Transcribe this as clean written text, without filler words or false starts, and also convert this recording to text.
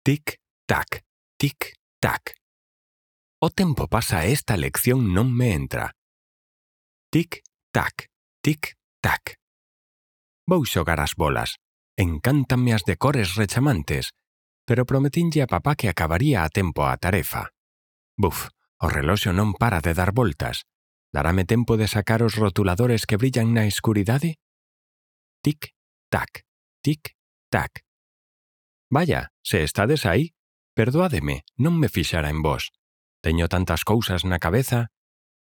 Tic-tac, tic-tac. O tempo pasa e esta lección non me entra. Tic-tac, tic-tac. Vou xogar as bolas. Encántanme as de cores rechamantes, pero prometinlle a papá que acabaría a tempo a tarefa. Buf, o reloxo non para de dar voltas. Darame tempo de sacar os rotuladores que brillan na escuridade? Tic-tac, tic-tac. Vaya, se estades aí, perdoádeme, non me fixara en vos. Teño tantas cousas na cabeza